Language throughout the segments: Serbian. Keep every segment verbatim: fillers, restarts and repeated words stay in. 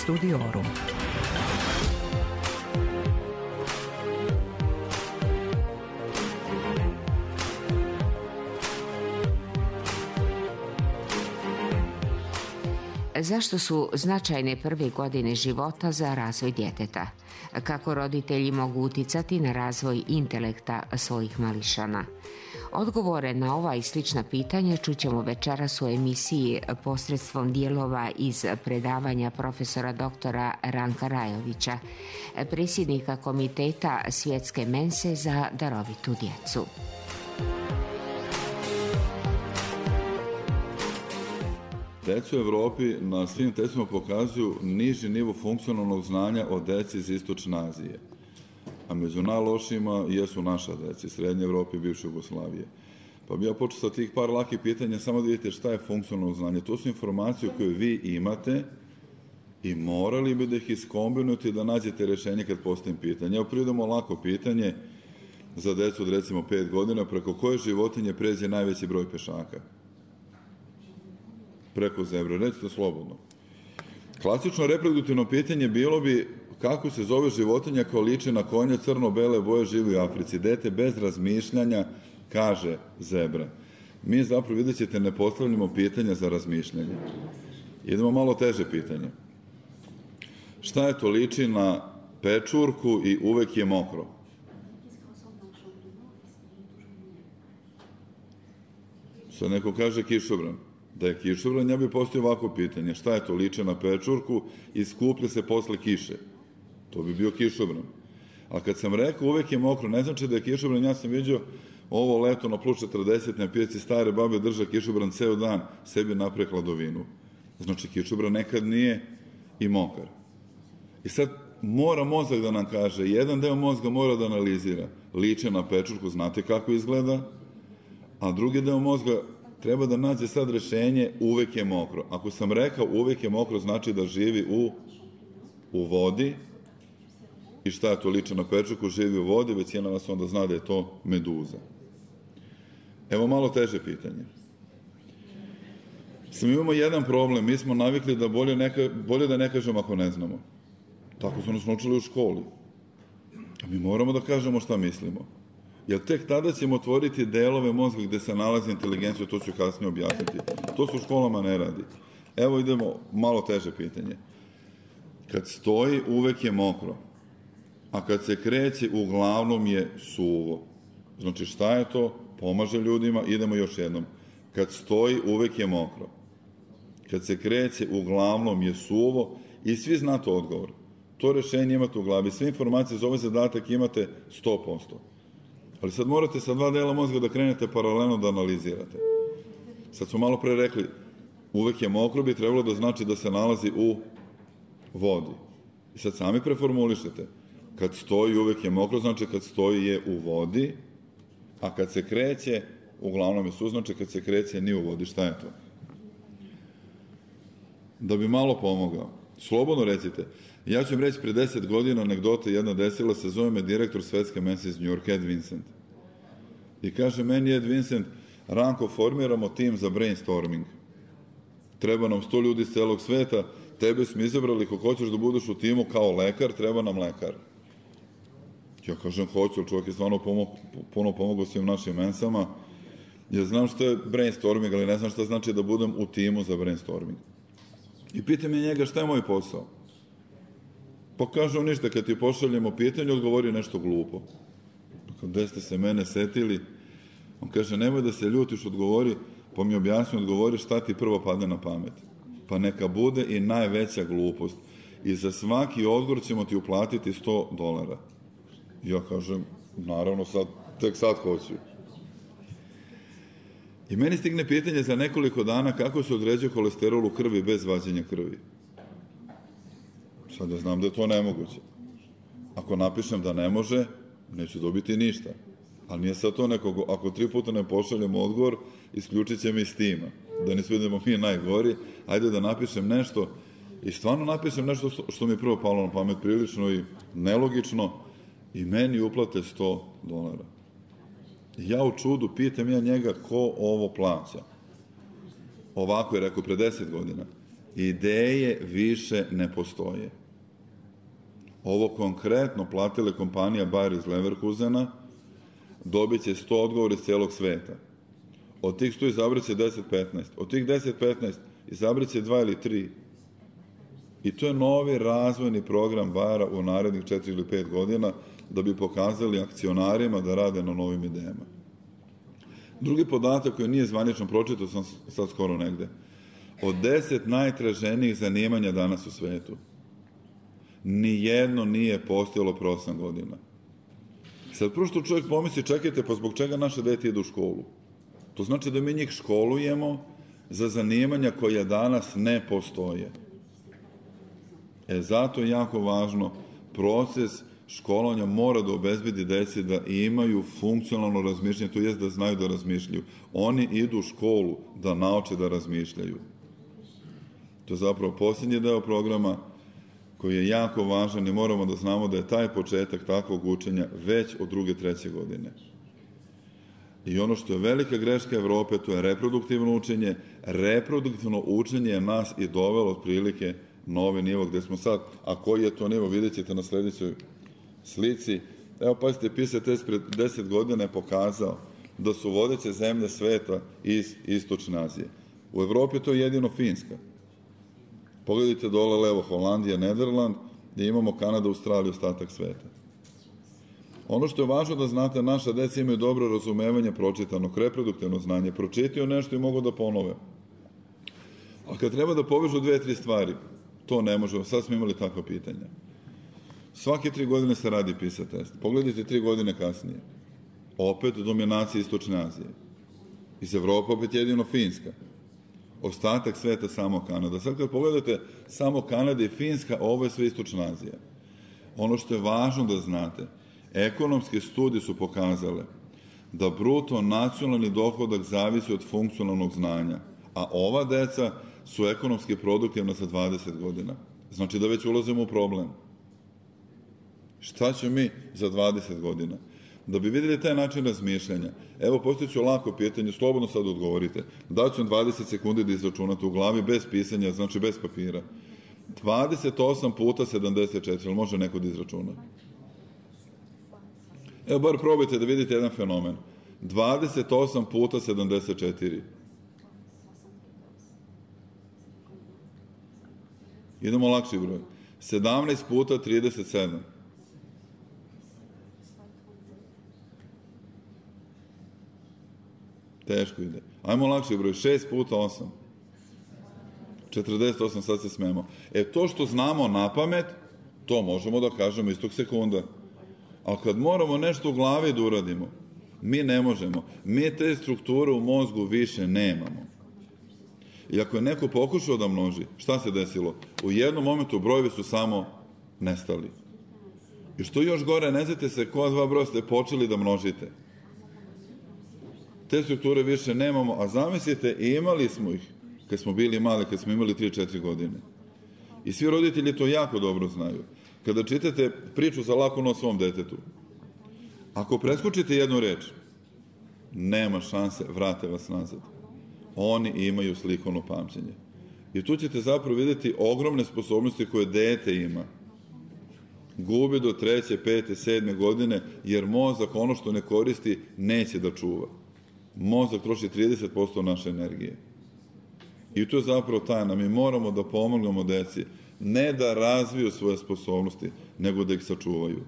Studiorum. Zašto su značajne prve godine života za razvoj djeteta? Kako roditelji mogu uticati na razvoj intelekta svojih mališana? Odgovore na ova i slična pitanja čućemo večeras u emisiji posredstvom dijelova iz predavanja profesora doktora Ranka Rajovića, predsjednika Komiteta Svjetske mense za darovitu djecu. Deca u Evropi na svim testima pokazuju niži nivo funkcionalnog znanja od dece iz Istočne Azije. A među najlošijima jesu naša deca, Srednje Evrope i bivše Jugoslavije. Pa bi ja počeo sa tih par lakih pitanja, samo da vidite šta je funkcionalno znanje. To su informacije koje vi imate i morali bi da ih iskombinujete i da nađete rešenje kad postavim pitanje. Evo prijedemo lako pitanje za decu od recimo pet godina, preko koje životinje pređe najveći broj pešaka? Preko zebre, recite slobodno. Klasično reproduktivno pitanje bilo bi kako se zove životinja koja liči na konja crno-bele boje, živi u Africi. Dete bez razmišljanja kaže zebra. Mi zapravo, vidjet ćete, ne postavljamo pitanja za razmišljanje. Idemo malo teže pitanje. Šta je to liči na pečurku i uvek je mokro? Sad neko kaže kišobran. Da je kišobran, ja bih postavio ovako pitanje. Šta je to liče na pečurku i skuplja se posle kiše? To bi bio kišobran. A kad sam rekao uvek je mokro, ne znači da je kišobran, ja sam vidio ovo leto na plus četrdeset na pijaci stare babe drža kišobran ceo dan, sebi napre hladovinu. Znači kišobran nekad nije i mokar. I sad mora mozak da nam kaže, jedan deo mozga mora da analizira. Liče na pečurku, znate kako izgleda, a drugi deo mozga treba da nađe sad rešenje uvek je mokro. Ako sam rekao uvek je mokro, znači da živi u, u vodi. I šta je to liče na pečurku? Živi u vodi, većina vas onda zna da je to meduza. Evo malo teže pitanje. Samo imamo jedan problem, mi smo navikli da bolje, neka, bolje da ne kažemo ako ne znamo. Tako smo nas naučili u školi. A mi moramo da kažemo šta mislimo. Jer tek tada ćemo otvoriti delove mozga gde se nalazi inteligencija, to ću kasnije objasniti. To se u školama ne radi. Evo idemo malo teže pitanje. Kad stoji, uvek je mokro. A kad se kreće, uglavnom je suvo. Znači šta je to? Pomaže ljudima. Idemo još jednom. Kad stoji, uvek je mokro. Kad se kreće, uglavnom je suvo i svi znate odgovor. To rešenje imate u glavi. Sve informacije za ovaj zadatak imate sto posto. Ali sad morate sa dva dela mozga da krenete paralelno da analizirate. Sad smo malo pre rekli, uvek je mokro, bi trebalo da znači da se nalazi u vodi. I sad sami preformulišete. Kad stoji, uvek je mokro, znači kad stoji je u vodi, a kad se kreće, uglavnom je su, znači kad se kreće nije u vodi. Šta je to? Da bi malo pomogao. Slobodno recite. Ja ću vam reći, pre deset godina anegdota jedna desila se, zove me direktor Svetske mense iz New York, Ed Vincent. I kaže meni Ed Vincent, Ranko, formiramo tim za brainstorming. Treba nam sto ljudi iz celog sveta, tebe smo izabrali, ko hoćeš da budeš u timu kao lekar, treba nam lekar. Ja kažem, hoću, ali čovjek je stvarno pomog, puno pomogao svim našim mensama. Ja znam što je brainstorming, ali ne znam šta znači da budem u timu za brainstorming. I pitam je njega šta je moj posao. Pa kaže on ništa, kad ti pošaljemo pitanje, odgovori nešto glupo. Gde ste se mene setili? On kaže, nemoj da se ljutiš, odgovori, pa mi objasni, odgovori šta ti prvo padne na pamet. Pa neka bude i najveća glupost. I za svaki odgovor ćemo ti uplatiti sto dolara. Ja kažem, naravno, sad, tek sad hoću. I meni stigne pitanje za nekoliko dana kako se određuje holesterol u krvi bez vađenja krvi. Sad ja znam da je to nemoguće. Ako napišem da ne može, neću dobiti ništa. Ali nije sad to nekog, ako tri puta ne pošaljemo odgovor, isključit će mi s tima. Da ne svedemo mi najgori, ajde da napišem nešto i stvarno napišem nešto što mi je prvo palo na pamet, prilično i nelogično, i meni uplate sto dolara. Ja u čudu pitam ja njega ko ovo plaća. Ovako je rekao pre deset godina. Ideje više ne postoje. Ovo konkretno platile kompanija Bayer iz Leverkusena, dobit će sto odgovora iz celog sveta. Od tih sto izabrat će deset petnaest. Od tih deset petnaest izabrat će dva ili tri. I to je novi razvojni program Bayera u narednih četiri ili pet godina da bi pokazali akcionarima da rade na novim idejama. Drugi podatak koji nije zvanično pročitao sam sad skoro negde. Od deset najtraženijih zanimanja danas u svetu, nijedno nije postojalo pre osam godina. Sad prvo što čovjek pomisli, čekajte, pa zbog čega naše dete ide u školu? To znači da mi njih školujemo za zanimanja koja danas ne postoje. E, zato je jako važno, proces školovanja mora da obezbedi deci da imaju funkcionalno razmišljanje, to jest da znaju da razmišljaju. Oni idu u školu da nauče da razmišljaju. To je zapravo posljednji deo programa koji je jako važan i moramo da znamo da je taj početak takvog učenja već od druge, treće godine. I ono što je velika greška Evrope, to je reproduktivno učenje. Reproduktivno učenje je nas i dovelo otprilike na ovaj nivo gde smo sad. A koji je to nivo, vidjet ćete na sljedećoj slici. Evo, pazite, PISA test pred deset godina je pokazao da su vodeće zemlje sveta iz Istočne Azije. U Evropi to je jedino Finska. Pogledajte dole levo, Holandija, Nederland, gdje imamo Kanada, Australiju, ostatak sveta. Ono što je važno da znate, naša deca imaju dobro razumevanje pročitanog, reproduktivno znanje, pročitaju nešto i mogu da ponove. A kad treba da povežu dve, tri stvari, to ne možemo. Sad smo imali takva pitanja. Svake tri godine se radi PISA test. Pogledajte tri godine kasnije. Opet dominacija Istočne Azije. Iz Evropa opet jedino Finska. Ostatak sveta samo Kanada. Sad kad pogledate samo Kanada i Finska, ovo je sve Istočna Azija. Ono što je važno da znate, ekonomske studije su pokazale da bruto nacionalni dohodak zavisi od funkcionalnog znanja, a ova deca su ekonomski produktivna za dvadeset godina. Znači da već ulazimo u problem. Šta ćemo mi za dvadeset godina? Da bi vidjeli taj način razmišljanja, evo postojiću lako pitanje, slobodno sad odgovorite. Daću vam dvadeset sekundi da izračunate u glavi, bez pisanja, znači bez papira. dvadeset osam puta sedamdeset četiri, ali može neko da izračuna? Evo, bar probajte da vidite jedan fenomen. dvadeset osam puta sedamdeset četiri. Idemo lakši broj. sedamnaest puta trideset sedam. Teško ide. Ajmo lakši broj. šest puta osam. četrdeset osam, sad se smemo. E, to što znamo na pamet, to možemo da kažemo istog sekunda. Ali kad moramo nešto u glavi da uradimo, mi ne možemo. Mi te strukture u mozgu više nemamo. I ako je neko pokušao da množi, šta se desilo? U jednom momentu brojevi su samo nestali. I što još gore, ne znate se koja dva broja ste počeli da množite. Te strukture više nemamo, a zamislite, imali smo ih kad smo bili mali, kad smo imali tri četiri godine. I svi roditelji to jako dobro znaju. Kada čitate priču za laku noć svom detetu, ako preskočite jednu reč, nema šanse, vrate vas nazad. Oni imaju slikovno pamćenje. I tu ćete zapravo vidjeti ogromne sposobnosti koje dete ima. Gubi do treće, pete, sedme godine, jer mozak ono što ne koristi neće da čuva. Mozak troši trideset posto naše energije. I to je zapravo tajna. Mi moramo da pomognemo deci, ne da razviju svoje sposobnosti, nego da ih sačuvaju.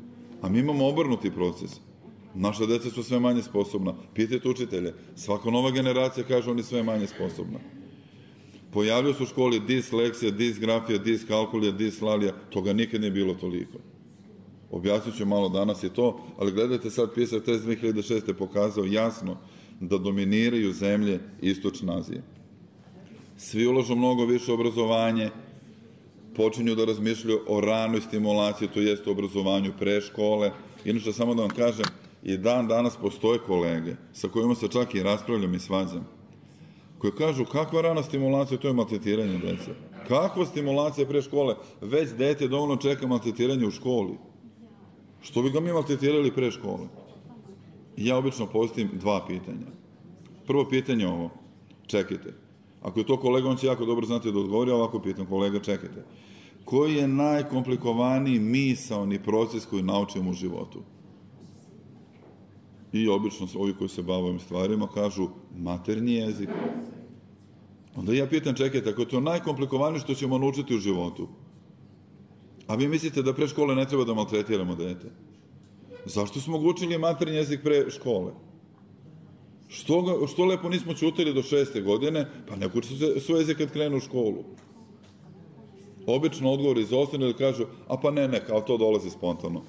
A mi imamo obrnuti proces. Naša deca su sve manje sposobna. Pitajte učitelje. Svaka nova generacija kaže oni sve manje sposobna. Pojavljaju se u školi disleksija, disgrafija, diskalkulija, dislalija. Toga nikad nije bilo toliko. Objasnit ću malo danas i to, ali gledajte sad, PISA test dve hiljade šeste pokazao jasno da dominiraju zemlje Istočne Azije. Svi ulažu mnogo više obrazovanje, počinju da razmišljaju o ranoj stimulaciji, to jeste obrazovanju pre škole. Inače, samo da vam kažem, i dan danas postoje kolege sa kojima se čak i raspravljam i svađam, koji kažu kakva rana stimulacija, to je maltretiranje dece. Kakva stimulacija pre škole? Već dete dovoljno čeka maltretiranje u školi. Što bi ga mi maltretirali pre škole? Ja obično postavim dva pitanja. Prvo pitanje je ovo. Čekajte. Ako je to kolega, on će jako dobro znati da odgovori, ovako pitam kolega, čekajte. Koji je najkomplikovaniji misaoni proces koji naučimo u životu? I obično ovi koji se bave ovim stvarima kažu maternji jezik. Onda ja pitam, čekajte, ako je to najkomplikovanije što ćemo naučiti u životu, a vi mislite da pre škole ne treba da maltretiramo dete? Zašto smo ga učili maternji jezik pre škole? Što, ga, što lepo nismo ćutili do šeste godine, pa ne uči se svoj jezik kad krenu u školu. Obično odgovor izostane ili kažu, a pa ne, ne, kao to dolazi spontano.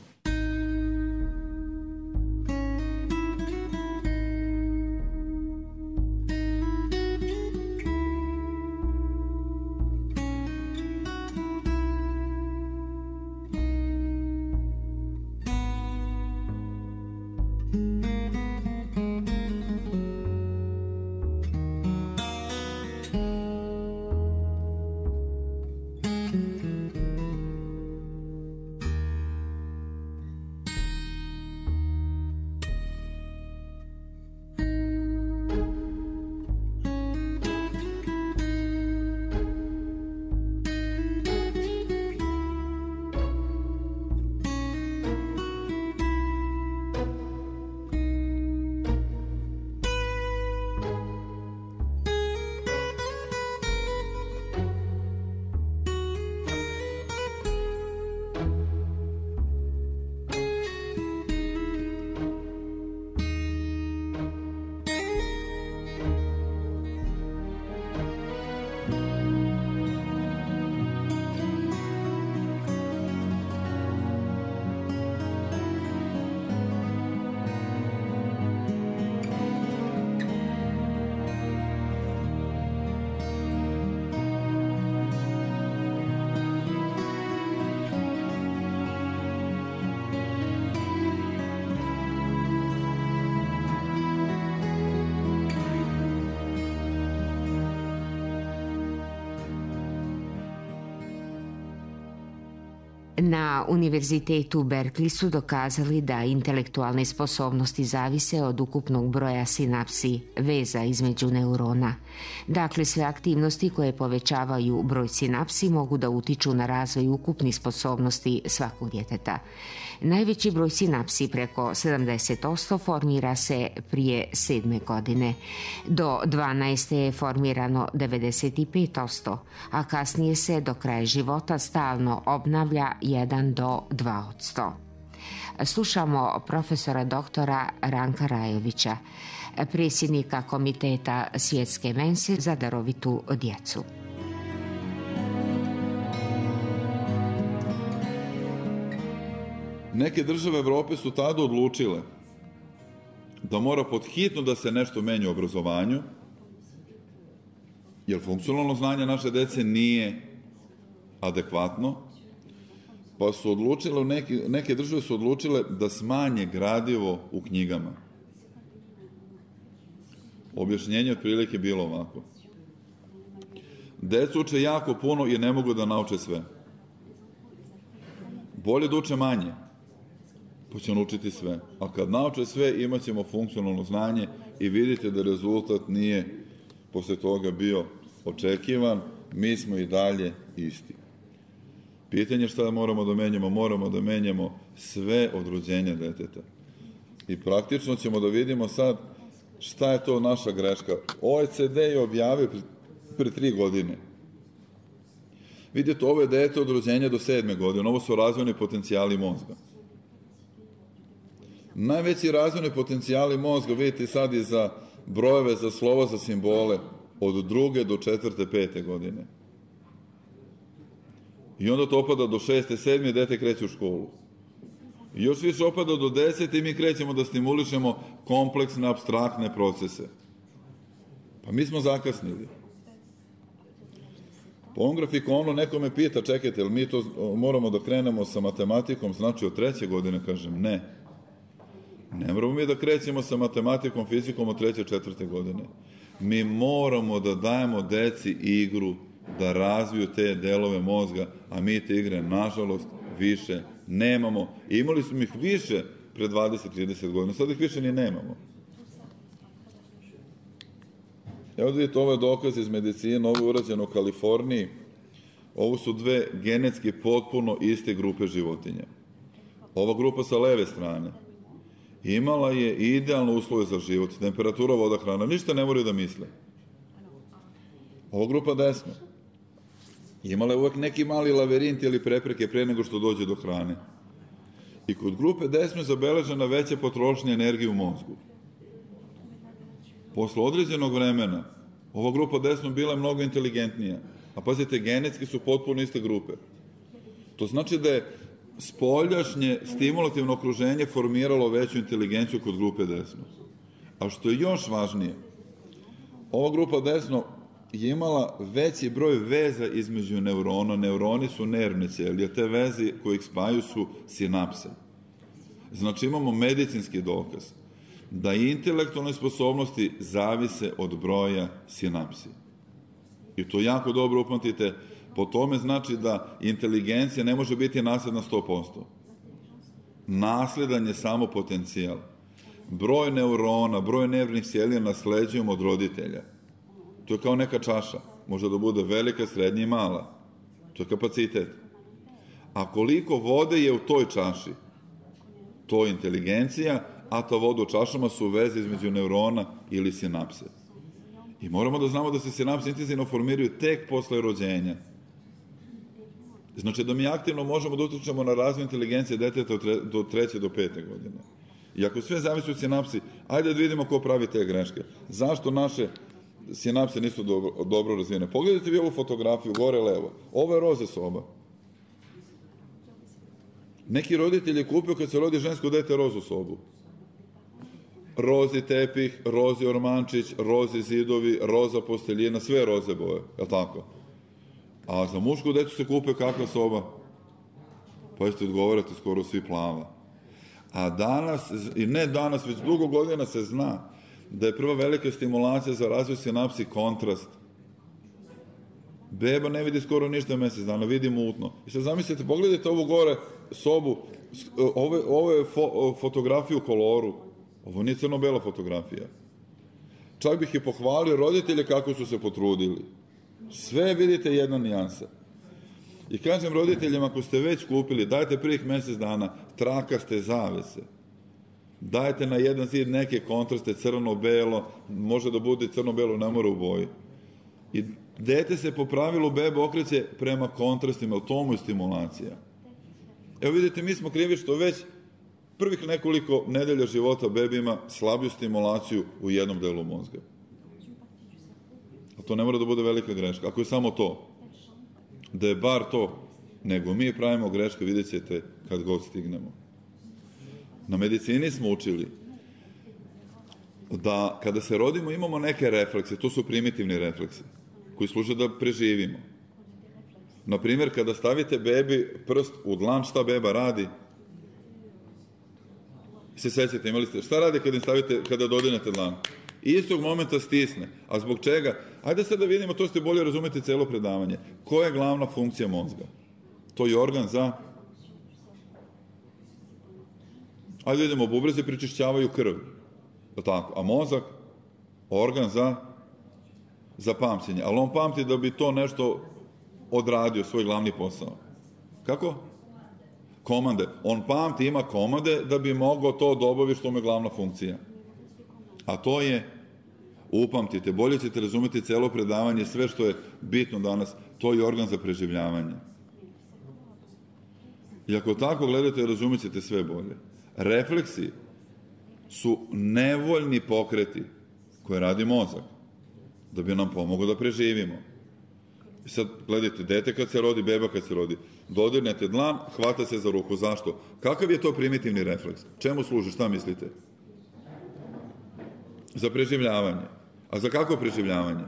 Na Univerzitetu u Berkeley su dokazali da intelektualne sposobnosti zavise od ukupnog broja sinapsi, veza između neurona. Dakle, sve aktivnosti koje povećavaju broj sinapsi mogu da utiču na razvoj ukupnih sposobnosti svakog djeteta. Najveći broj sinapsi, preko sedamdeset posto, formira se prije sedme godine. Do dvanaeste je formirano devedeset pet posto, a kasnije se do kraja života stalno obnavlja jedan do dva posto. Slušamo profesora doktora Ranka Rajovića, predsjednika Komiteta Svjetske mense za darovitu djecu. Neke države Evrope su tada odlučile da mora podhitno da se nešto menja u obrazovanju, jer funkcionalno znanje naše dece nije adekvatno, pa su odlučile, neke, neke države su odlučile da smanje gradivo u knjigama. Objašnjenje otprilike bilo ovako. Deca uče jako puno i ne mogu da nauče sve. Bolje da uče manje, pa će naučiti sve. A kad nauče sve, imat ćemo funkcionalno znanje i vidite da rezultat nije posle toga bio očekivan, mi smo i dalje isti. Pitanje šta moramo da menjamo? Moramo da menjamo sve od rođenja deteta. I praktično ćemo da vidimo sad šta je to naša greška. O E C D je objavio pre, pre tri godine. Vidite, ovo je dete od rođenja do sedme godine. Ovo su razvojni potencijali mozga. Najveći razvojni potencijali mozga, vidite sad i za brojeve, za slova, za simbole, od druge do četvrte, pete godine. I onda to opada do šeste, sedme i dete kreće u školu. I još više opada do desete i mi krećemo da stimulišemo kompleksne, apstraktne procese. Pa mi smo zakasnili. Po ovom grafikonu neko me pita, čekajte, li mi to moramo da krenemo sa matematikom, znači od treće godine, kažem, ne. Ne moramo mi da krećemo sa matematikom, fizikom od treće, četvrte godine. Mi moramo da dajemo deci igru, da razviju te delove mozga, a mi te igre, nažalost, više nemamo. I imali smo ih više pre dvadeset do trideset godina, sad ih više ni nemamo. Evo vidite, ovo je dokaz iz medicine, ovo je urađeno u Kaliforniji. Ovo su dve genetski potpuno iste grupe životinja. Ova grupa sa leve strane imala je idealne uslove za život, temperatura, voda, hrana, ništa ne moraju da misle. Ova grupa desno imala je uvek neki mali laverint ili prepreke pre nego što dođe do hrane. I kod grupe desno je zabeležena veća potrošnja energije u mozgu. Posle određenog vremena, ova grupa desno bila je mnogo inteligentnija. A pazite, genetski su potpuno iste grupe. To znači da je spoljašnje stimulativno okruženje formiralo veću inteligenciju kod grupe desno. A što je još važnije, ova grupa desno je imala veći broj veza između neurona. Neuroni su nervne ćelije, te veze koje ih spajaju su sinapse. Znači imamo medicinski dokaz da intelektualne sposobnosti zavise od broja sinapsi. I to jako dobro upamtite. Po tome znači da inteligencija ne može biti nasledna sto posto. Nasledan je samo potencijal. Broj neurona, broj nervnih ćelija nasleđujemo od roditelja. To je kao neka čaša. Može da bude velika, srednja i mala. To je kapacitet. A koliko vode je u toj čaši? To je inteligencija, a ta voda u čašama su veze između neurona ili sinapse. I moramo da znamo da se sinapse intenzivno formiraju tek posle rođenja. Znači da mi aktivno možemo da utičemo na razvoj inteligencije deteta do treće do pete godine. I ako sve zavisi od sinapsi, ajde da vidimo ko pravi te greške. Zašto naše sinapse nisu dobro, dobro razvijene? Pogledajte vi ovu fotografiju, gore levo. Ovo je roze soba. Neki roditelj je kupio kad se rodi žensko dete rozu sobu. Rozi tepih, rozi ormančić, rozi zidovi, roza posteljina, sve roze boje, je li tako? A za mušku decu se kupe kakva soba? Pa jeste odgovarate skoro svi plava. A danas, i ne danas, već dugo godina se zna da je prva velika stimulacija za razvoj sinapsi kontrast. Beba ne vidi skoro ništa mesec dana, vidi mutno. I sad zamislite, pogledajte ovu gore sobu, ovo, ovo je fo, fotografiju u koloru. Ovo nije crno-bela fotografija. Čak bih i pohvalio roditelje kako su se potrudili. Sve vidite jedna nijansa. I kažem roditeljima, ako ste već kupili, dajte prvih mesec dana trakaste zavese. Dajte na jedan zid neke kontraste, crno-belo, može da bude crno-belo, ne mora u boji. I dete se po pravilu beba okreće prema kontrastima, u tomu je stimulacija. Evo vidite, mi smo krivi što već prvih nekoliko nedelja života bebi ima slabiju stimulaciju u jednom delu mozga. A to ne mora da bude velika greška. Ako je samo to, da je bar to, nego mi pravimo greške, vidjet ćete kad god stignemo. Na medicini smo učili da kada se rodimo imamo neke reflekse, to su primitivni refleksi, koji služe da preživimo. Naprimjer, kada stavite bebi prst u dlan, šta beba radi? Se sećate, imali ste, šta radi kada stavite, kada dodirnete dlan? Istog momenta stisne. A zbog čega? Ajde sad da vidimo, to ste bolje razumete celo predavanje. Koja je glavna funkcija mozga? To je organ za... Ajde vidimo, bubrezi pričišćavaju krv. Tako. A mozak? Organ za... za pamćenje. Ali on pamti da bi to nešto odradio, svoj glavni posao. Kako? Komande. On pamti, ima komande da bi mogao to da obavi što mu je glavna funkcija. A to je, upamtite, bolje ćete razumeti celo predavanje, sve što je bitno danas, to je organ za preživljavanje. I ako tako gledate, razumit ćete sve bolje. Refleksi su nevoljni pokreti koje radi mozak, da bi nam pomogao da preživimo. I sad, gledajte, dete kad se rodi, beba kad se rodi, dodirnete dlan, hvata se za ruku. Zašto? Kakav je to primitivni refleks? Čemu služi? Šta mislite? Za preživljavanje. A za kako preživljavanje?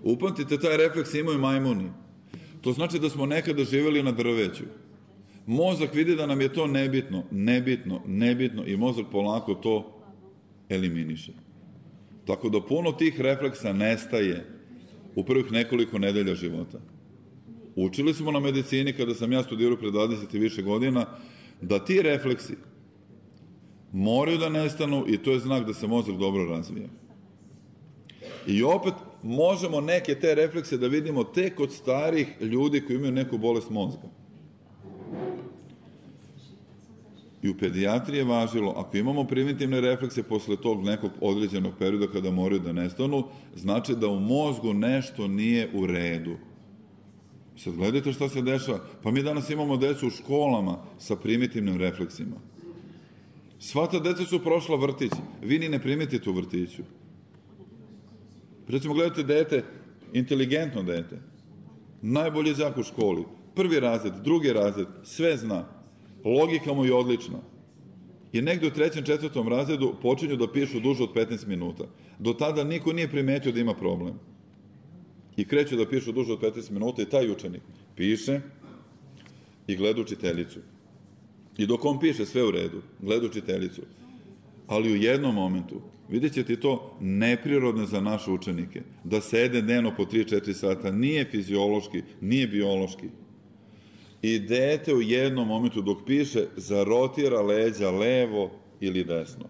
Upamtite, taj refleks imaju majmuni. To znači da smo nekada živjeli na drveću. Mozak vidi da nam je to nebitno, nebitno, nebitno i mozak polako to eliminiše. Tako da puno tih refleksa nestaje u prvih nekoliko nedelja života. Učili smo na medicini, kada sam ja studirao pre dvadeset i više godina, da ti refleksi moraju da nestanu i to je znak da se mozak dobro razvija. I opet možemo neke te reflekse da vidimo tek kod starih ljudi koji imaju neku bolest mozga. I u pedijatriji je važilo, ako imamo primitivne reflekse posle tog nekog određenog perioda kada moraju da nestanu, znači da u mozgu nešto nije u redu. Sad gledajte šta se dešava. Pa mi danas imamo decu u školama sa primitivnim refleksima. Sva ta deca su prošla vrtić. Vi ni ne primetite u vrtiću. Recimo, gledajte dete, inteligentno dete. Najbolji đak u školi. Prvi razred, drugi razred, sve zna. Logika mu je odlična. I negde u trećem, četvrtom razredu počinju da pišu duže od petnaest minuta. Do tada niko nije primetio da ima problem. I kreću da pišu duže od petnaest minuta i taj učenik piše i gleda učiteljicu. I dok on piše sve u redu, gleda učiteljicu. Ali u jednom momentu, vidjet ćete to neprirodno za naše učenike, da sede dnevno po tri do četiri sata, nije fiziološki, nije biološki. I dete u jednom momentu dok piše zarotira leđa levo ili desno.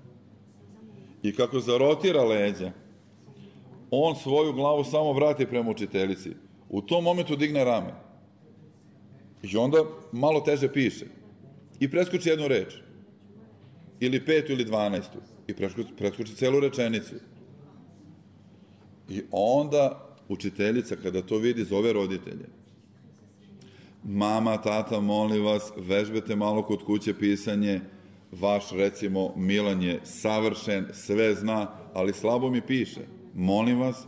I kako zarotira leđa, on svoju glavu samo vrati prema učiteljici. U tom momentu digne rame. I onda malo teže piše. I preskoči jednu reč. Ili petu ili dvanaestu. I preskoči celu rečenicu. I onda učiteljica kada to vidi zove roditelje. Mama, tata, molim vas, vežbete malo kod kuće pisanje. Vaš, recimo, Milan je savršen, sve zna, ali slabo mi piše. Molim vas,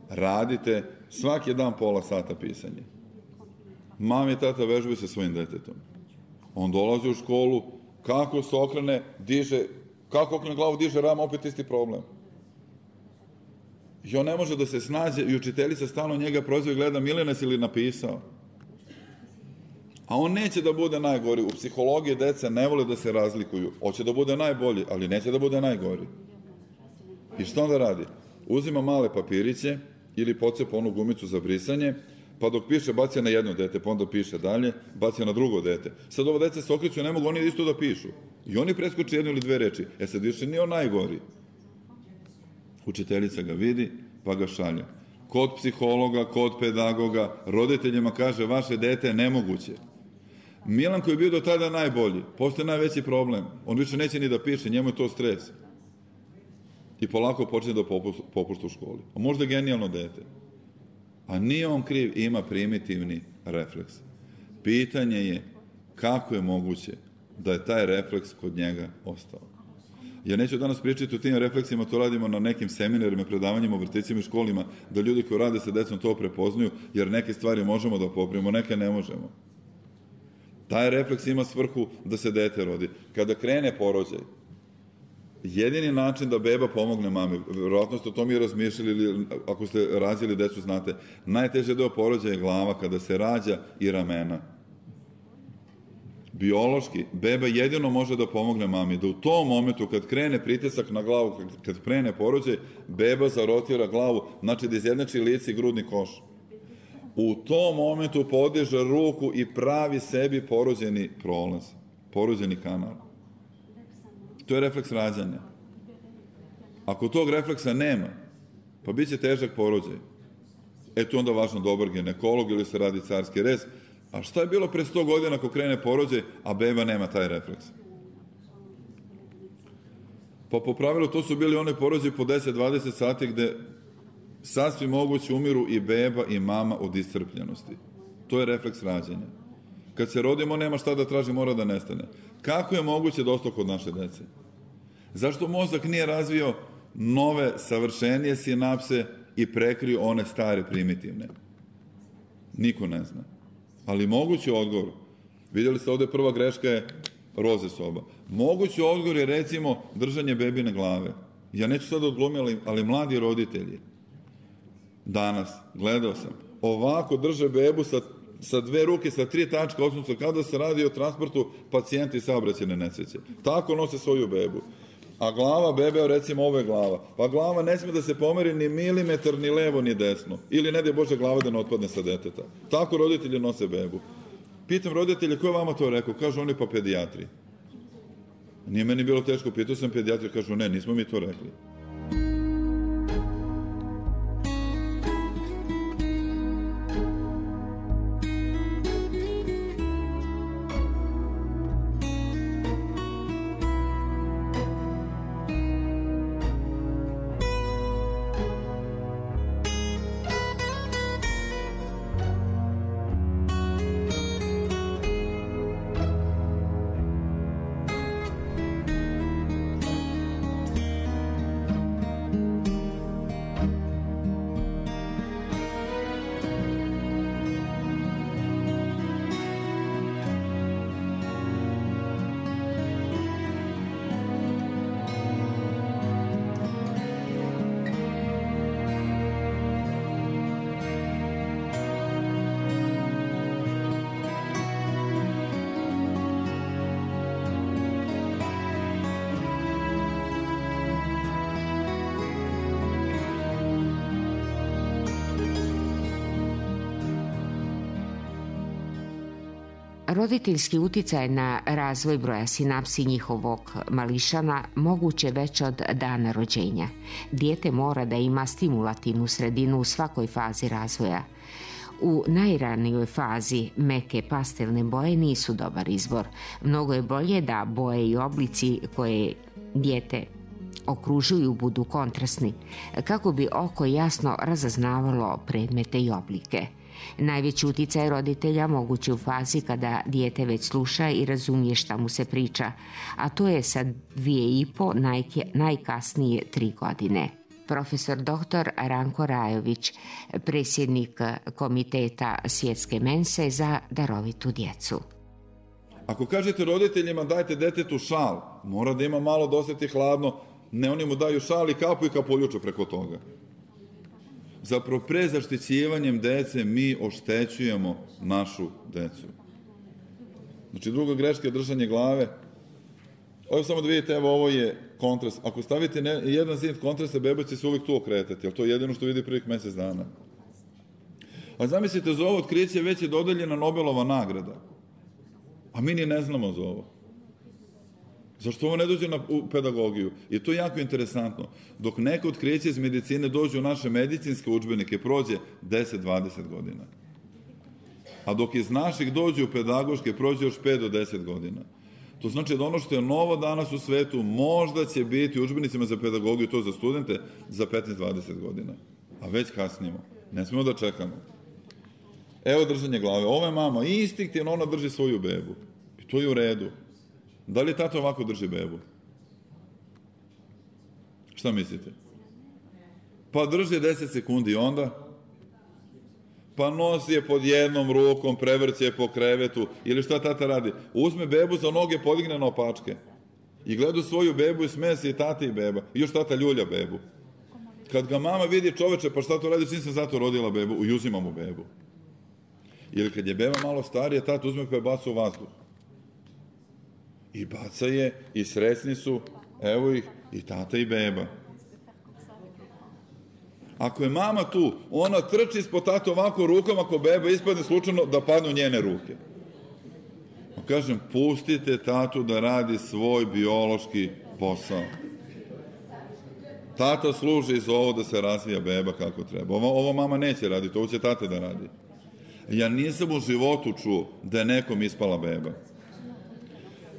radite svaki dan pola sata pisanje. Mama i tata vežbaju sa svojim detetom. On dolazi u školu, kako se okrene, diže, kako okrene glavu, diže ram, opet isti problem. I on ne može da se snađe i učiteljica stalno njega prozove i gleda, Milena si li napisao? A on neće da bude najgori. U psihologiji deca ne vole da se razlikuju. Hoće da bude najbolji, ali neće da bude najgori. I što onda radi? Uzima male papiriće ili pocepa onu gumicu za brisanje, pa dok piše bacija na jedno dete, pa onda piše dalje, bacija na drugo dete. Sad ovo deca se okreću, ne mogu oni isto da pišu. I oni preskoče jednu ili dve reči. E sad više nije on najgori. Učiteljica ga vidi, pa ga šalja. Kod psihologa, kod pedagoga, roditeljima kaže, vaše dete je nemoguće. Milan koji je bio do tada najbolji, postoje najveći problem. On više neće ni da piše, njemu je to stres. I polako počne da popušta u školi. A možda genijalno dete. A nije on kriv, ima primitivni refleks. Pitanje je kako je moguće da je taj refleks kod njega ostao. Ja neću danas pričati o tim refleksima, to radimo na nekim seminarima, predavanjima u vrtićima i školima, da ljudi koji rade sa decom to prepoznaju, jer neke stvari možemo da popravimo, neke ne možemo. Taj refleks ima svrhu da se dete rodi. Kada krene porođaj, jedini način da beba pomogne mami, verovatno ste o tome i razmišljali, ili ako ste rađali decu, znate, najteže deo porođaja je glava, kada se rađa, i ramena. Biološki, beba jedino može da pomogne mami, da u tom momentu kad krene pritisak na glavu, kad krene porođaj, beba zarotira glavu, znači da izjednači lice i grudni koš. U tom momentu podiže ruku i pravi sebi porođeni prolaz, porođeni kanal. To je refleks rađanja. Ako tog refleksa nema, pa bit će težak porođaj. E tu onda važno dobar ginekolog ili se radi carski rez. A šta je bilo pre sto godina ako krene porođaj, a beba nema taj refleks? Pa po pravilu to su bili one porođaje po deset do dvadeset sati gde sasvim moguće umiru i beba i mama od iscrpljenosti. To je refleks rađanja. Kad se rodimo, nema šta da traži, mora da nestane. Kako je moguće da ostao kod naše dece? Zašto mozak nije razvio nove, savršenije sinapse i prekrio one stare, primitivne? Niko ne zna. Ali mogući odgovor, vidjeli ste ovde prva greška je roze soba. Mogući odgovor je, recimo, držanje bebine glave. Ja neću sad odglumiti, ali mladi roditelji, danas, gledao sam, ovako drže bebu sa, sa dve ruke, sa tri tačka osnovca, kada se radi o transportu pacijenta i saobraćajne nesreće. Tako nose svoju bebu. A glava bebe, recimo, ovo je glava. Pa glava ne sme da se pomeri ni milimetar, ni levo, ni desno. Ili ne daj Bože glava da ne otpadne sa deteta. Tako roditelji nose bebu. Pitam roditelje, ko je vama to rekao? Kažu oni, pa pedijatri. Nije meni bilo teško, pitao sam pedijatri, kažu ne, nismo mi to rekli. Roditeljski uticaj na razvoj broja sinapsi njihovog mališana moguće već od dana rođenja. Dijete mora da ima stimulativnu sredinu u svakoj fazi razvoja. U najranijoj fazi meke pastelne boje nisu dobar izbor. Mnogo je bolje da boje i oblici koje dijete okružuju budu kontrastni, kako bi oko jasno razaznavalo predmete i oblike. Najveći uticaj roditelja moguće u fazi kada dijete već sluša i razumije šta mu se priča, a to je sa dvije i po, najkasnije tri godine. Profesor doktor Ranko Rajović, predsjednik Komiteta Svjetske mense za darovitu djecu. Ako kažete roditeljima dajte detetu šal, mora da ima malo da osjeti hladno, ne, oni mu daju šal i kapu i kapuljuču preko toga. Zapravo, pre zaštićivanjem dece mi oštećujemo našu decu. Znači, druga greška je držanje glave. Ovo samo da vidite, evo, ovo je kontrast. Ako stavite ne, jedan zid kontrasta, beba će se uvijek tu okretati, ali to je jedino što vidi prvih mjesec dana. A zamislite, za ovo otkriće već je dodeljena Nobelova nagrada. A mi ni ne znamo za ovo. Zašto ovo ne dođe na pedagogiju? I to je jako interesantno. Dok neko otkriće iz medicine dođe u naše medicinske udžbenike, prođe deset do dvadeset godina. A dok iz naših dođe u pedagoške, prođe još pet do deset godina. To znači da ono što je novo danas u svetu, možda će biti u udžbenicima za pedagogiju, to za studente, za petnaest do dvadeset godina. A već kasnimo. Ne smemo da čekamo. Evo držanje glave. Ova je mama instinktivno, ona drži svoju bebu. I to je u redu. Da li tata ovako drži bebu? Šta mislite? Pa drži deset sekundi i onda? Pa nosi je pod jednom rukom, prevrće je po krevetu. Ili šta tata radi? Uzme bebu za noge, podigne na opačke. I gleda svoju bebu i smeje se i tata i beba. I još tata ljulja bebu. Kad ga mama vidi, čoveče, pa šta to radiš, nisam zato rodila bebu, i uzima mu bebu. Ili kad je beba malo starija, tata uzme pa je baca u vazduh. I baca je, i srećni su, evo ih, i tata i beba. Ako je mama tu, ona trči ispod tata ovako rukama, ako beba ispadne slučajno da padne u njene ruke. Kažem, pustite tatu da radi svoj biološki posao. Tata služi za ovo da se razvija beba kako treba. Ovo, ovo mama neće raditi, ovo će tata da radi. Ja nisam u životu čuo da je nekom ispala beba.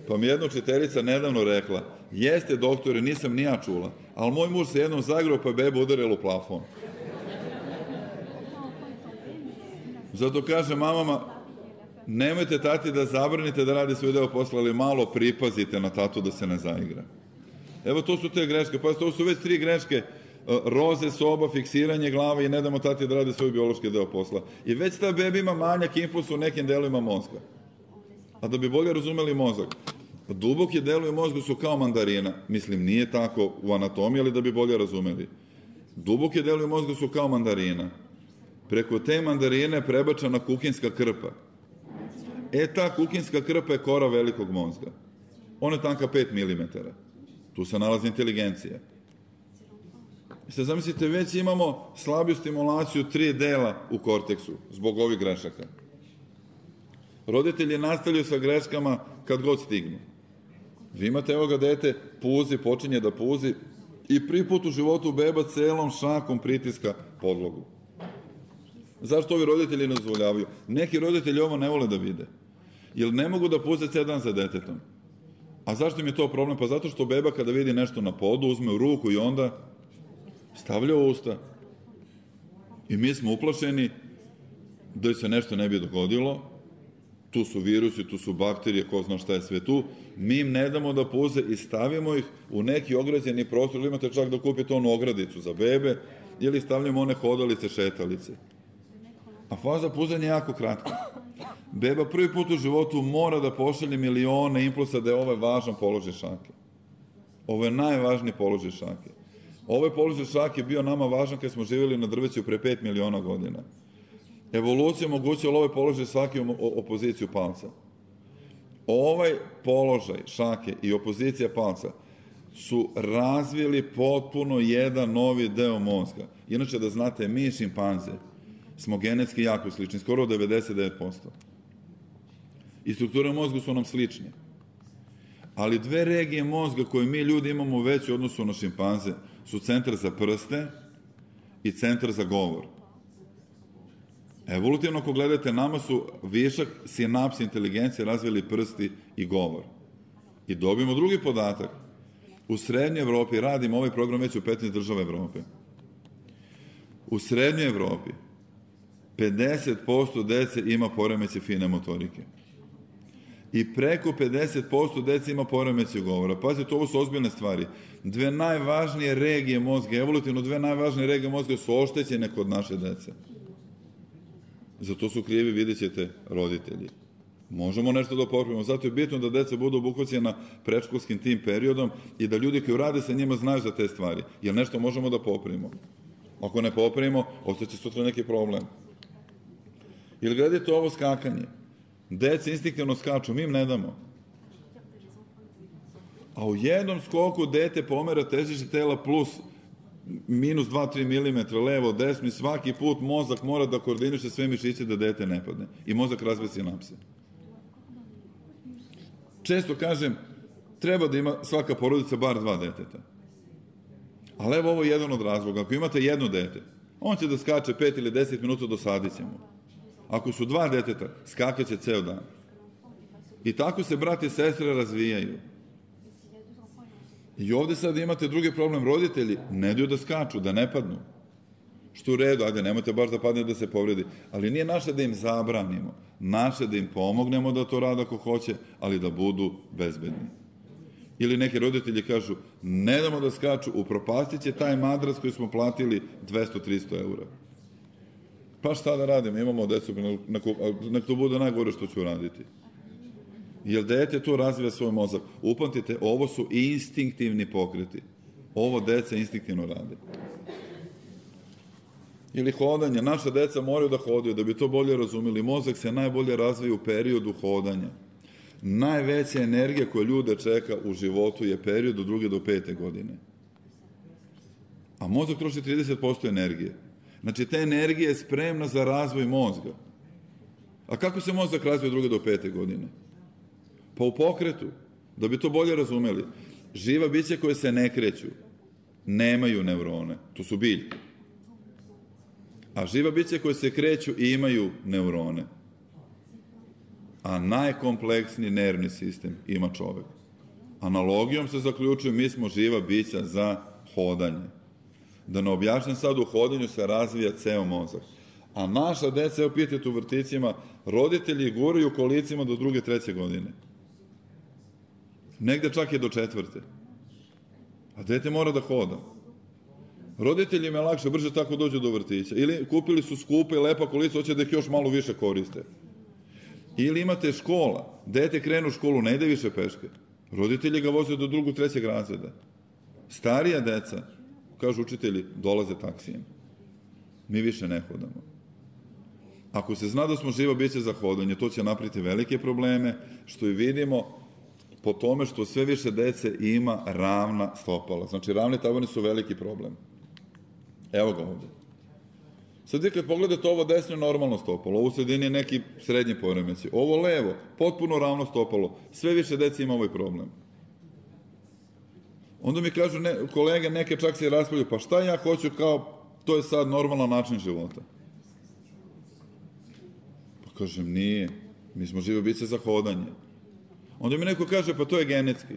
Pa mi jedna učiteljica nedavno rekla, jeste doktore, nisam ni ja čula, ali moj muž se jednom zagrao pa je beba udarila u plafon. Zato kaže mamama, nemojte tati da zabranite da radi svoj deo posla, ali malo pripazite na tatu da se ne zaigra. Evo, to su te greške. Pa to su već tri greške. Roze, soba, fiksiranje glave i ne damo tati da radi svoj biološki deo posla. I već ta beba ima manjak impulsa u nekim delovima mozga. A da bi bolje razumeli mozak, duboki delovi mozga su kao mandarina. Mislim, nije tako u anatomiji, ali da bi bolje razumeli. Duboki delovi mozga su kao mandarina. Preko te mandarine prebačena kuhinska krpa. E, ta kuhinska krpa je kora velikog mozga. Ona je tanka pet milimetara. Tu se nalazi inteligencija. I sad zamislite, već imamo slabiju stimulaciju tri dela u korteksu, zbog ovih grešaka. Roditelji nastavljaju sa greškama kad god stignu. Vi imate, evo ga dete, puzi, počinje da puzi i prvi put u životu beba celom šakom pritiska podlogu. Zašto ovi roditelji ne dozvoljavaju? Neki roditelji ovo ne vole da vide. Jer ne mogu da puze ceo dan za detetom. A zašto im je to problem? Pa zato što beba kada vidi nešto na podu, uzme u ruku i onda stavlja u usta. I mi smo uplašeni da se nešto ne bi dogodilo. Tu su virusi, tu su bakterije, ko zna šta je sve tu. Mi im ne damo da puze i stavimo ih u neki ograđeni prostor. Ili imate čak da kupite onu ogradicu za bebe ili stavljamo one hodalice, šetalice. A faza puzanja je jako kratka. Beba prvi put u životu mora da pošalje milione impulsa da je ovaj važan položaj šake. Ovo je najvažniji položaj šake. Ovaj položaj šake je bio nama važan kad smo živjeli na drveću pre pet miliona godina. Evolucija omogućila ovaj položaj šake u opoziciju palca. Ovaj položaj šake i opozicija palca su razvili potpuno jedan novi deo mozga. Inače, da znate, mi šimpanze smo genetski jako slični, skoro devedeset devet posto. i struktura mozga su nam slične. Ali dve regije mozga koje mi ljudi imamo veći u odnosu na šimpanze su centar za prste i centar za govor. Evolutivno, ako gledate, nama su višak sinapsi inteligencije razvili prsti i govor. I dobijemo drugi podatak. U Srednjoj Evropi, radimo ovaj program već u petnaest država Evrope. U Srednjoj Evropi pedeset posto dece ima poremeće fine motorike. I preko pedeset posto dece ima poremeće govora. Pazite, ovo su ozbiljne stvari. Dve najvažnije regije mozga, evolutivno dve najvažnije regije mozga su oštećene kod naše dece. Zato su krivi, vidjet ćete, roditelji. Možemo nešto da popravimo. Zato je bitno da deca budu obuhvaćena predškolskim tim periodom i da ljudi koji rade sa njima znaju za te stvari. Jer nešto možemo da popravimo. Ako ne popravimo, ostaće sutra neki problem. Ili gledajte ovo skakanje. Dece instinktivno skaču, mi im ne damo. A u jednom skoku dete pomera težište tela plus minus dva do tri milimetra, levo, desno, svaki put mozak mora da koordiniše sve mišiće da dete ne padne. I mozak razvije sinapse. Često kažem, treba da ima svaka porodica bar dva deteta. Ali evo ovo je jedan od razloga. Ako imate jedno dete, on će da skače pet ili deset minuta, dosadit će mu. Ako su dva deteta, skakaće ceo dan. I tako se brati i sestre razvijaju. I ovde sad imate drugi problem. Roditelji ne daju da skaču, da ne padnu. Što u redu, ajde, nemojte baš da padne da se povredi. Ali nije naše da im zabranimo. Naše da im pomognemo da to rade ako hoće, ali da budu bezbedni. Ili neki roditelji kažu, ne damo da skaču, upropastit će taj madrac koji smo platili dvesta do trista eura. Pa šta da radimo, imamo decu, nek to bude najgore što ću raditi. Jer dete to razvija svoj mozak. Upamtite, ovo su instinktivni pokreti. Ovo deca instinktivno rade. Ili hodanje. Naša deca moraju da hodaju, da bi to bolje razumeli. Mozak se najbolje razvija u periodu hodanja. Najveća energija koja ljude čeka u životu je period od druge do pete godine. A mozak troši trideset posto energije. Znači, ta energija je spremna za razvoj mozga. A kako se mozak razvija od druge do pete godine? Pa u pokretu, da bi to bolje razumeli. Živa bića koje se ne kreću, nemaju neurone, to su biljke. A živa bića koje se kreću imaju neurone. A najkompleksniji nervni sistem ima čovek. Analogijom se zaključuje, mi smo živa bića za hodanje. Da ne objašnjam sad, u hodanju se razvija ceo mozak. A naša deca, evo pitajte u vrtićima, roditelji guraju kolicima do druge, treće godine. Negde čak i do četvrte. A dete mora da hoda. Roditeljima je lakše, brže tako dođu do vrtića. Ili kupili su skupe i lepa kolica, hoće da ih još malo više koriste. Ili imate škola, dete krenu u školu, ne ide više peške. Roditelji ga voze do drugog, trećeg razreda. Starija deca, kažu učitelji, dolaze taksijem. Mi više ne hodamo. Ako se zna da smo živa bića za hodanje, to će napraviti velike probleme, što i vidimo po tome što sve više dece ima ravna stopala. Znači, ravni tabani su veliki problem. Evo ga ovde. Sad vi kad pogledate ovo desno je normalno stopalo, ovo u sredini je neki srednji poremećaj. Ovo levo, potpuno ravno stopalo. Sve više dece ima ovaj problem. Onda mi kažu ne, kolege, neke čak se raspravljaju, pa šta ja hoću kao, to je sad normalan način života. Pa kažem, nije. Mi smo žive biće za hodanje. Onda mi neko kaže, pa to je genetski.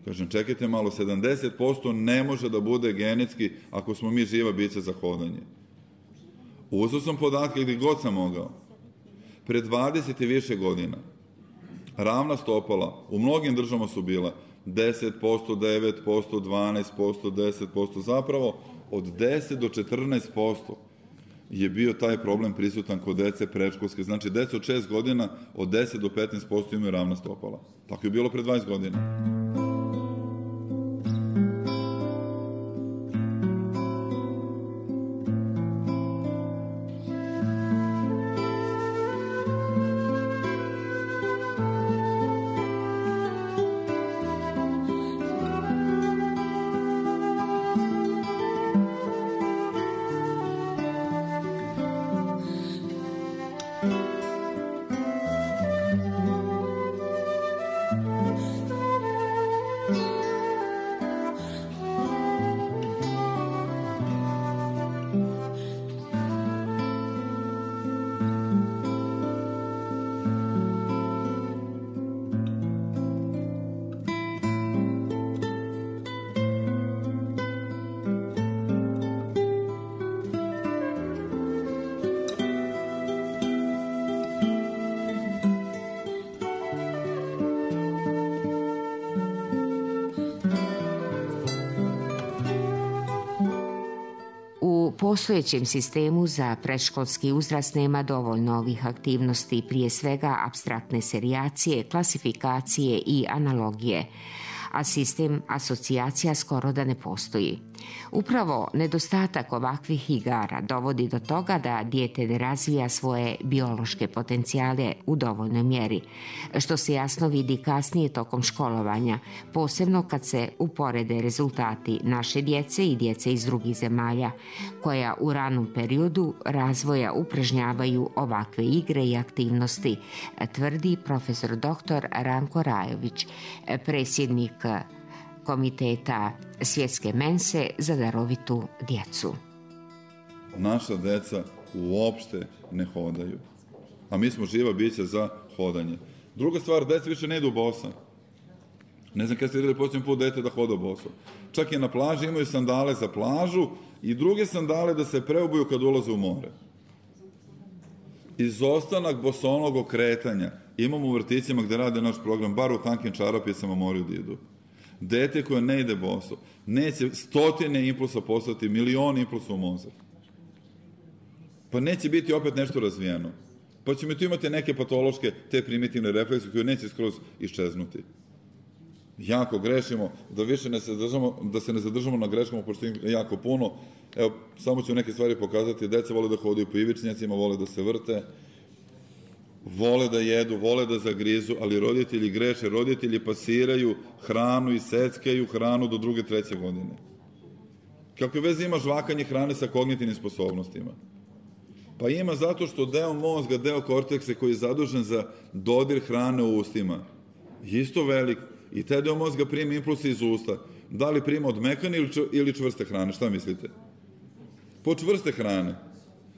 Kažem, čekajte malo, sedamdeset posto ne može da bude genetski ako smo mi živa bića za hodanje. Uzeo sam podatke gdje god sam mogao. Pre dvadeset i više godina ravna stopala u mnogim državama su bila deset posto, devet posto, dvanaest posto, deset posto. Zapravo, od deset do četrnaest posto je bio taj problem prisutan kod dece predškolske. Znači, deca od šest godina od deset do petnaest posto imaju ravna stopala. Tako je bilo pre dvadeset godina. postojećem sistemu za predškolski uzrast nema dovoljno ovih aktivnosti, prije svega apstraktne serijacije, klasifikacije i analogije, a sistem asocijacija skoro da ne postoji. Upravo nedostatak ovakvih igara dovodi do toga da dijete ne razvija svoje biološke potencijale u dovoljnoj mjeri, što se jasno vidi kasnije tokom školovanja, posebno kad se uporede rezultati naše djece i djece iz drugih zemalja, koja u ranom periodu razvoja upražnjavaju ovakve igre i aktivnosti, tvrdi profesor doktor Ranko Rajović, predsjednik Komiteta Svjetske mense za darovitu djecu. Naša deca uopšte ne hodaju, a mi smo živa bića za hodanje. Druga stvar, deca više ne idu bosa. Ne znam kada ste vidjeli posljednji put dete da hoda boso. Čak i na plaži imaju sandale za plažu i druge sandale da se preobuju kad ulaze u more. Izostanak bosonogog kretanja imamo u vrtićima gde rade naš program, bar u tankim čarapicama moraju da idu. Dete koje ne ide boso, neće stotine impulsa poslati, milioni impulsa u mozak. Pa neće biti opet nešto razvijeno. Pa ćemo tu imati neke patološke, te primitivne reflekse koje neće skroz iščeznuti. Jako grešimo, da više ne se zadržamo, da se ne zadržamo na greškama, pošto je jako puno. Evo, samo ću neke stvari pokazati. Deca vole da hodaju po ivičnjacima, vole da se vrte, vole da jedu, vole da zagrizu, ali roditelji greše, roditelji pasiraju hranu i seckaju hranu do druge, treće godine. Kakve veze ima žvakanje hrane sa kognitivnim sposobnostima? Pa ima zato što deo mozga, deo korteksa koji je zadužen za dodir hrane u ustima, je isto velik i taj deo mozga prima impulse iz usta. Da li prima od mekane ili čvrste hrane, šta mislite? Po čvrste hrane.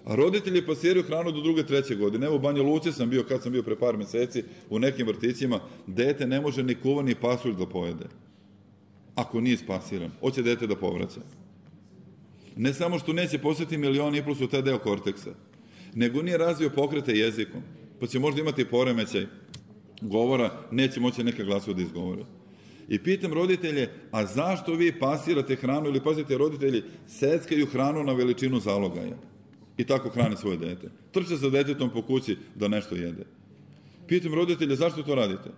A roditelji pasiraju hranu do druge, treće godine. Evo u Banja Luci sam bio, kad sam bio pre par meseci, u nekim vrtićima, dete ne može ni kuvan ni pasulj da pojede. Ako nije spasiran. Hoće dete da povraća. Ne samo što neće posjeti milion impulsa u taj deo korteksa, nego nije razvio pokrete jezikom. Pa će možda imati poremećaj govora, neće moći neke glasove da izgovore. I pitam roditelje, a zašto vi pasirate hranu ili pazite, roditelji seckaju hranu na veličinu zalogaja i tako hrane svoje dete. Trče za detetom po kući da nešto jede. Pitam roditelje, zašto to radite?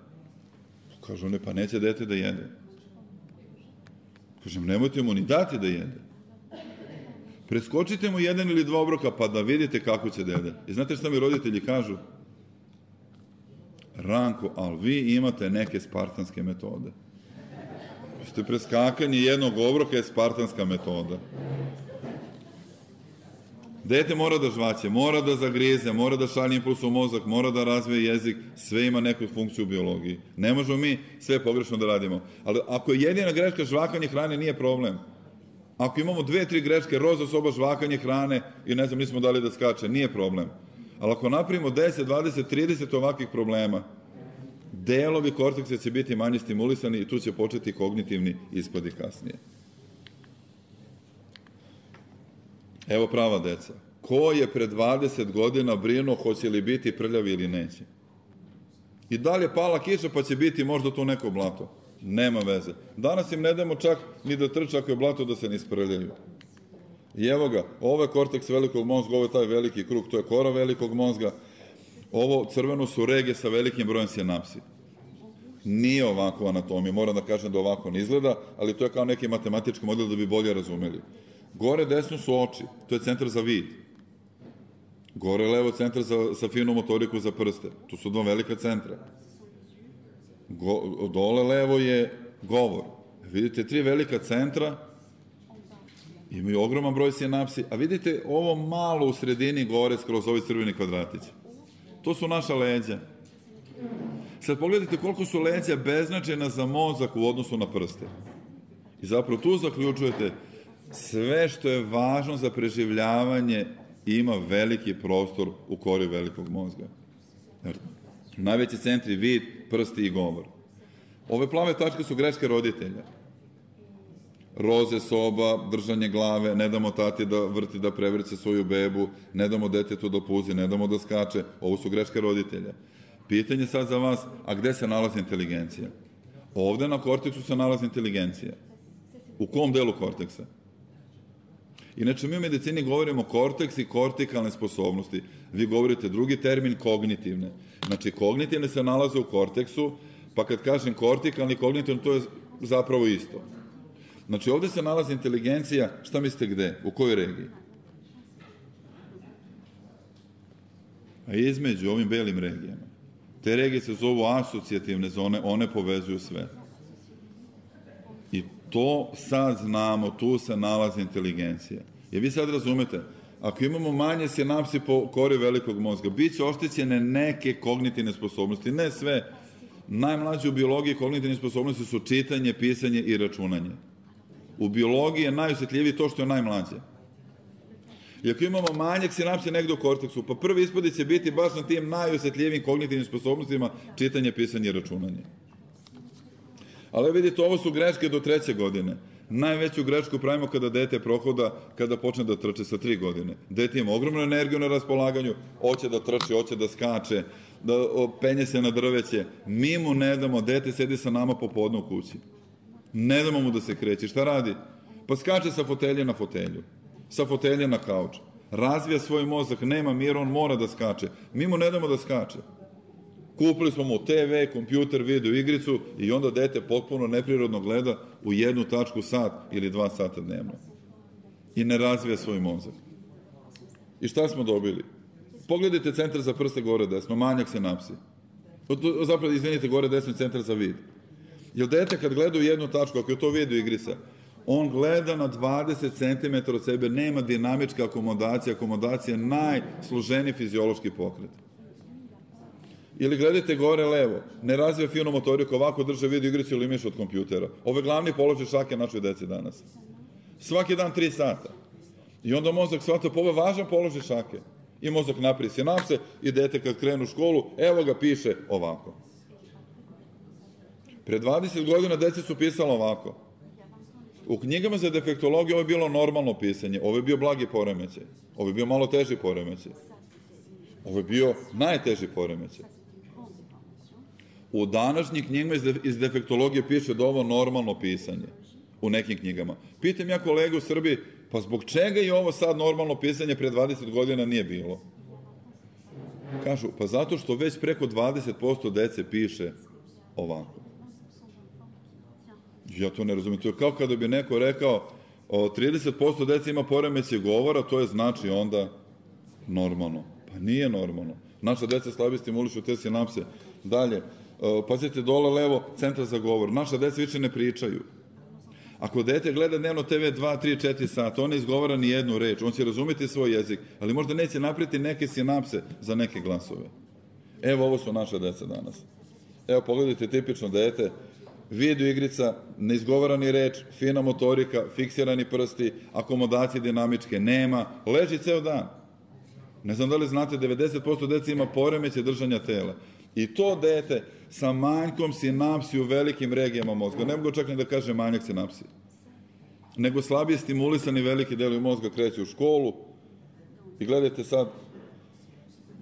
Kažu oni, pa neće dete da jede. Kažem, nemojte mu ni dati da jede. Preskočite mu jedan ili dva obroka pa da vidite kako će da jede. I znate šta mi roditelji kažu? Ranko, ali vi imate neke spartanske metode. Ste preskakanje jednog obroka je spartanska metoda. Dete mora da žvaće, mora da zagrize, mora da šalje impuls u mozak, mora da razvije jezik, sve ima neku funkciju u biologiji. Ne možemo mi sve pogrešno da radimo. Ali ako je jedina greška žvakanje hrane, nije problem. Ako imamo dve, tri greške, roza soba, žvakanje hrane i ne znam, nismo dali da skače, nije problem. Ali ako napravimo deset, dvadeset, trideset ovakvih problema, delovi korteksa će biti manje stimulisani i tu će početi kognitivni ispadi kasnije. Evo prava deca. Ko je pre dvadeset godina brinuo hoće li biti prljavi ili neće? I da li je pala kiša pa će biti možda tu neko blato? Nema veze. Danas im ne damo čak ni da trče ako je blato da se ne isprljaju. I evo ga, ovo je korteks velikog mozga, ovo je taj veliki krug, to je kora velikog mozga. Ovo crveno su rege sa velikim brojem sinapsi. Nije ovako anatomija, moram da kažem da ovako ne izgleda, ali to je kao neki matematički model da bi bolje razumeli. Gore desno su oči, to je centar za vid. Gore levo centar za, za finu motoriku za prste, tu su dva velika centra. Go, dole levo je govor. Vidite, tri velika centra, imaju ogroman broj sinapsi, a vidite ovo malo u sredini gore skroz ovi crveni kvadratići. To su naša leđa. Sad pogledajte koliko su leđa beznačajna za mozak u odnosu na prste. I zapravo tu zaključujete sve što je važno za preživljavanje ima veliki prostor u kori velikog mozga. Najveći centri vid, prsti i govor. Ove plave tačke su greške roditelja. Roze soba, držanje glave, ne damo tati da vrti, da prevrće svoju bebu, ne damo detetu da puzi, ne damo da skače. Ovo su greške roditelja. Pitanje sad za vas, a gde se nalazi inteligencija? Ovde na korteksu se nalazi inteligencija. U kom delu korteksa? Inače, mi u medicini govorimo korteks i kortikalne sposobnosti. Vi govorite drugi termin, kognitivne. Znači, kognitivne se nalaze u korteksu, pa kad kažem kortikalni i kognitivni, to je zapravo isto. Znači, ovde se nalazi inteligencija, šta mislite gde? U kojoj regiji? A između ovim belim regijama. Te regije se zovu asocijativne zone, one povezuju sve. I to sad znamo, tu se nalazi inteligencija. Jer vi sad razumete, ako imamo manje sinapsi po kori velikog mozga, bit će oštećene neke kognitivne sposobnosti, ne sve. Najmlađe u biologiji kognitivne sposobnosti su čitanje, pisanje i računanje. U biologiji je najosjetljiviji to što je najmlađe. I ako imamo manjak sinapsi negde u korteksu, pa prvi ispodi će biti baš na tim najosjetljivim kognitivnim sposobnostima čitanje, pisanje i računanje. Ali vidite, ovo su greške do treće godine. Najveću grešku pravimo kada dete prohoda, kada počne da trče sa tri godine. Dete ima ogromnu energiju na raspolaganju, hoće da trči, hoće da skače, da penje se na drveće. Mi mu ne damo, dete sedi sa nama popodne u kući. Ne damo mu da se kreće. Šta radi? Pa skače sa fotelje na fotelju, sa fotelje na kauč. Razvija svoj mozak, nema mira, on mora da skače. Mi mu ne damo da skače. Kupili smo mu te ve, kompjuter, video igricu i onda dete potpuno neprirodno gleda u jednu tačku sat ili dva sata dnevno. I ne razvija svoj mozak. I šta smo dobili? Pogledajte centar za prste gore desno, manjak sinapsi. Zapravo, izvinite, gore desno je centar za vid. Jer dete kad gleda u jednu tačku, ako je to video igrica, on gleda na dvadeset centimetara od sebe, nema dinamička akomodacija, akomodacija je najsloženiji fiziološki pokret. Ili gledajte gore levo, ne razvija finu motoriku, ovako drže video igricu ili miš od kompjutera. Ovo je glavni položaj šake našoj deci danas. Svaki dan tri sata. I onda mozak shvata, pa ovo je važan položaj šake. I mozak napravi sinapse i dete kad krenu u školu, evo ga piše ovako. Pre dvadeset godina deci su pisala ovako. U knjigama za defektologiju ovo je bilo normalno pisanje, ovo je bio blagi poremećaj, ovo je bio malo teži poremećaj, ovo je bio najteži poremećaj. U današnjim knjigama iz defektologije piše da ovo normalno pisanje u nekim knjigama. Pitam ja kolege u Srbiji, pa zbog čega i ovo sad normalno pisanje pre dvadeset godina nije bilo? Kažu, pa zato što već preko dvadeset posto dece piše ovako. Ja to ne razumijem. To je kao kada bi neko rekao trideset posto dece ima poremećaj govora, to je znači onda normalno. Pa nije normalno. Naša deca slabije stimulišu te sinapse. Dalje, pazite dole levo, centar za govor. Naša deca više ne pričaju. Ako dete gleda dnevno te ve dva, tri, četiri sata, on ne izgovara ni jednu reč, on će razumeti svoj jezik, ali možda neće napraviti neke sinapse za neke glasove. Evo, ovo su naša deca danas. Evo, pogledajte tipično dete, video igrica, ne izgovara ni reč, fina motorika, fiksirani prsti, akomodacije dinamičke nema, leži ceo dan. Ne znam da li znate, devedeset posto dece ima poremećaj držanja tela. I to dete sa manjkom sinapsi u velikim regijama mozga, ne mogu čak ni da kaže manjak sinapsi, nego slabije stimulisani veliki delovi mozga kreću u školu i gledajte sad,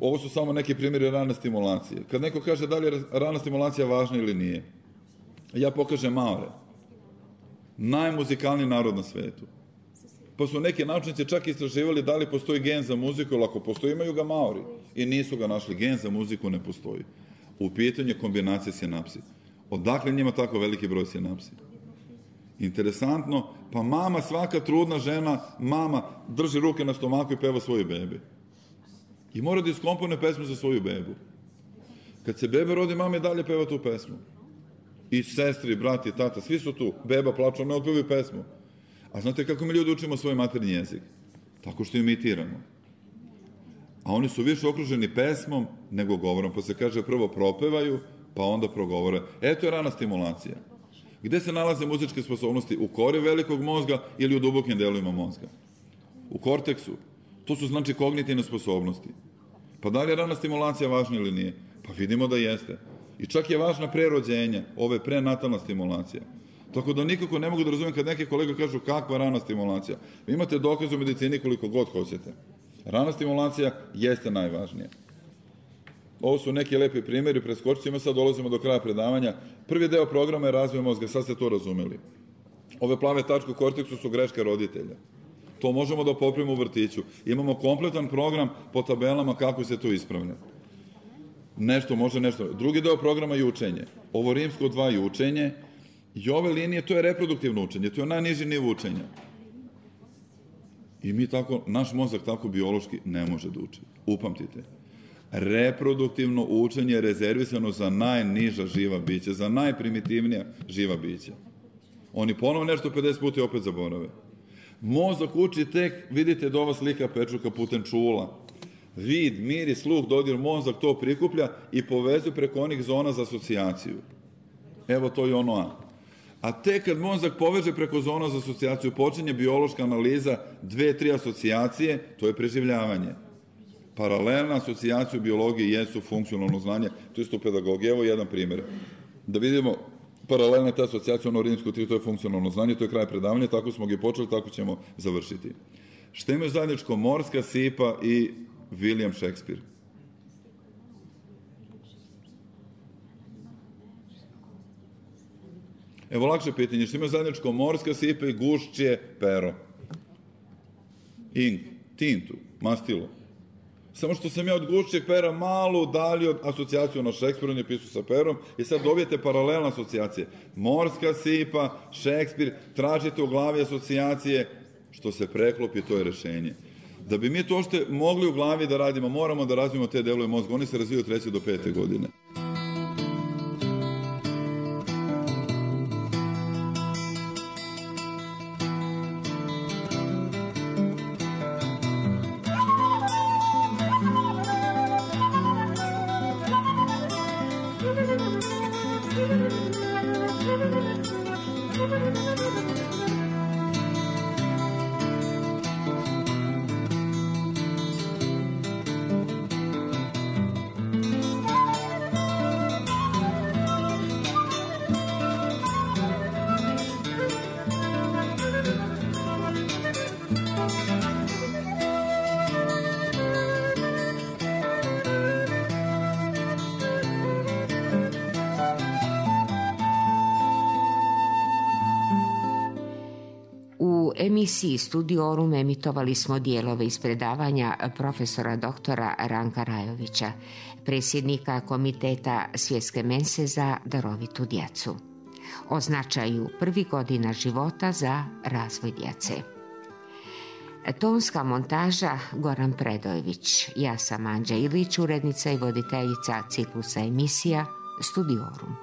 ovo su samo neki primjeri rane stimulacije. Kad neko kaže da li je rana stimulacija važna ili nije, ja pokažem Maore, najmuzikalniji narod na svetu. Pa su neki naučnici čak istraživali da li postoji gen za muziku, ili ako postoji, imaju ga Maori. I nisu ga našli. Gen za muziku ne postoji. U pitanju je kombinacija sinapsi. Odakle njima tako veliki broj sinapsi? Interesantno, pa mama, svaka trudna žena, mama drži ruke na stomaku i peva svoju bebi. I mora da iskomponuje pesmu za svoju bebu. Kad se beba rodi, mama i dalje peva tu pesmu. I sestri, brati, tata, svi su tu. Beba plaču, ne otpevaju pesmu. A znate kako mi ljudi učimo svoj maternji jezik? Tako što imitiramo. A oni su više okruženi pesmom nego govorom, pa se kaže prvo propevaju, pa onda progovore. Eto je rana stimulacija. Gde se nalaze muzičke sposobnosti? U kori velikog mozga ili u dubokim delovima mozga? U korteksu. To su znači kognitivne sposobnosti. Pa da li je rana stimulacija važna ili nije? Pa vidimo da jeste. I čak je važna pre rođenja, ove je prenatalna stimulacija. Tako da nikako ne mogu da razumijem kad neke kolega kažu kakva rana stimulacija. Vi imate dokaze u medicini koliko god hoćete. Rana stimulacija jeste najvažnija. Ovo su neki lepi primjeri, preskočit ćemo, sad dolazimo do kraja predavanja. Prvi deo programa je razvoj mozga, sad ste to razumeli. Ove plave tačke u korteksu su greška roditelja. To možemo da popravimo u vrtiću. Imamo kompletan program po tabelama kako se to ispravlja. Nešto može, nešto. Drugi deo programa je učenje. Ovo rimsko dva je učenje i ove linije, to je reproduktivno učenje, to je najniži nivo učenja. I mi tako, naš mozak tako biološki ne može da uči. Upamtite. Reproduktivno učenje je rezervisano za najniža živa bića, za najprimitivnija živa bića. Oni ponovo nešto pedeset puta i opet zaborave. Mozak uči tek, vidite da ova slika pečurka putem čula. Vid, miris, sluh, dodir, mozak to prikuplja i povezuje preko onih zona za asocijaciju. Evo to je ono A. A tek kad mozak poveže preko zona za asocijaciju, počinje biološka analiza dve, tri asocijacije, to je preživljavanje. Paralelna asocijacija u biologiji jesu funkcionalno znanje, to je isto u pedagogiji. Evo jedan primjer. Da vidimo, paralelna ta asocijacija, ono rimsko tri, to je funkcionalno znanje, to je kraj predavanja, tako smo ga i počeli, tako ćemo završiti. Šta imaju zajedničko Morska sipa i William Shakespeare? Evo lakše pitanje, što imaju zajedničko Morska sipa i gušće pero? Ink, tintu, mastilo. Samo što sam ja od gušćeg pera malo udalio asocijaciju na Shakespeare, on je pisao sa perom, i sad dobijete paralelne asocijacije. Morska sipa, Shakespeare, tražite u glavi asocijacije, što se preklopi, to je rešenje. Da bi mi to što mogli u glavi da radimo, moramo da razvijemo te delove mozga. Oni se razvijaju od treće do pete godine. U emisiji Studiorum emitovali smo dijelove iz predavanja profesora doktora Ranka Rajovića, predsjednika Komiteta Svjetske mense za darovitu djecu, o značaju prvih godina života za razvoj djece. Tonska montaža Goran Predojević, ja sam Anđa Ilić, urednica i voditeljica ciklusa emisija Studiorum.